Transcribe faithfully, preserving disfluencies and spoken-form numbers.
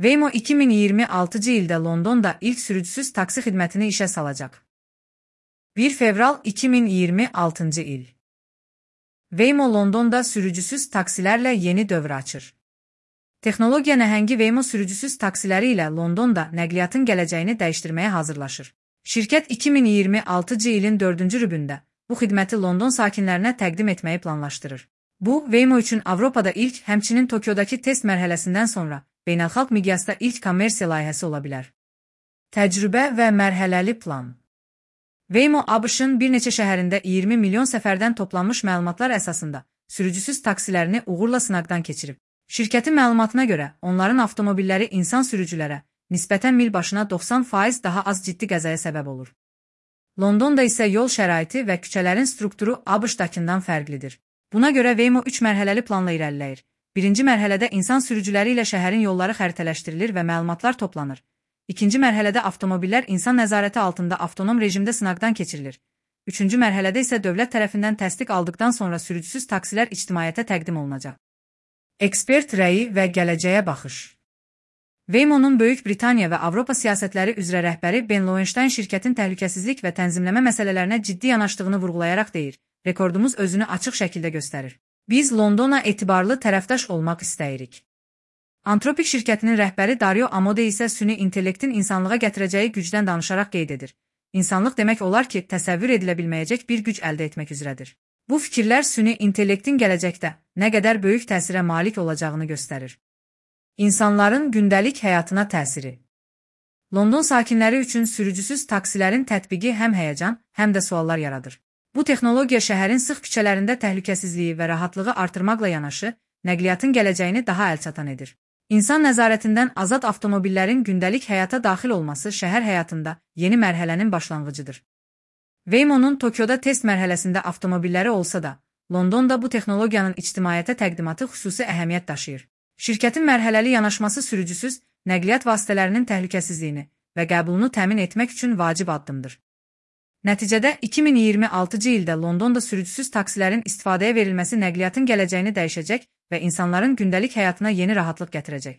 Waymo iki min iyirmi altıncı ildə Londonda ilk sürücüsüz taksi xidmətini işə salacaq. bir fevral iki min iyirmi altıncı il. Waymo Londonda sürücüsüz taksilərlə yeni dövr açır. Texnologiya nəhəngi Waymo sürücüsüz taksiləri ilə Londonda nəqliyyatın gələcəyini dəyişdirməyə hazırlaşır. Şirkət iki min iyirmi altıncı ilin dördüncü rübündə bu xidməti London sakinlərinə təqdim etməyi planlaşdırır. Bu, Waymo üçün Avropada ilk, həmçinin Tokyodakı test mərhələsindən sonra beynəlxalq miqyasda ilk kommersiya layihəsi ola bilər. Təcrübə və mərhələli plan. Waymo A B Ş-ın bir neçə şəhərində iyirmi milyon səfərdən toplanmış məlumatlar əsasında sürücüsüz taksilərini uğurla sınaqdan keçirib. Şirkətin məlumatına görə, onların avtomobilləri insan sürücülərə nisbətən mil başına doxsan faiz daha az ciddi qəzaya səbəb olur. Londonda isə yol şəraiti və küçələrin strukturu A B Ş-dakından fərqlidir. Buna görə Waymo üç mərhələli planla irəliləyir. Birinci mərhələdə insan sürücüləri ilə şəhərin yolları xəritələşdirilir və məlumatlar toplanır. İkinci mərhələdə avtomobillər insan nəzarəti altında avtonom rejimdə sınaqdan keçirilir. Üçüncü mərhələdə isə dövlət tərəfindən təsdiq aldıqdan sonra sürücüsüz taksilər ictimaiyyətə təqdim olunacaq. Ekspert rəyi və gələcəyə baxış. Waymo'nun Böyük Britaniya və Avropa siyasətləri üzrə rəhbəri Ben Lowenstein şirkətin təhlükəsizlik və tənzimləmə məsələlərinə ciddi yanaşdığını vurğulayaraq deyir, rekordumuz özünü açıq şəkildə göstərir. Biz Londona etibarlı tərəfdaş olmaq istəyirik. Antropik şirkətinin rəhbəri Dario Amodei isə süni intellektin insanlığa gətirəcəyi gücdən danışaraq qeyd edir. İnsanlıq demək olar ki, təsəvvür edilə bilməyəcək bir güc əldə etmək üzrədir. Bu fikirlər süni intellektin gələcəkdə nə qədər böyük təsirə malik olacağını göstərir. İnsanların gündəlik həyatına təsiri. London sakinləri üçün sürücüsüz taksilərin tətbiqi həm həyəcan, həm də suallar yaradır. Bu texnologiya şəhərin sıx küçələrində təhlükəsizliyi və rahatlığı artırmaqla yanaşı, nəqliyyatın gələcəyini daha əlçatan edir. İnsan nəzarətindən azad avtomobillərin gündəlik həyata daxil olması şəhər həyatında yeni mərhələnin başlanğıcıdır. Waymo'nun Tokyoda test mərhələsində avtomobilləri olsa da, Londonda bu texnologiyanın ictimaiyyətə təqdimatı xüsusi əhəmiyyət daşıyır. Şirkətin mərhələli yanaşması sürücüsüz nəqliyyat vasitələrinin təhlükəsizliyini və qəbulunu təmin etmək üçün vacib addımdır. Nəticədə iki min iyirmi altıncı ildə Londonda sürücüsüz taksilərin istifadəyə verilməsi nəqliyyatın gələcəyini dəyişəcək və insanların gündəlik həyatına yeni rahatlıq gətirəcək.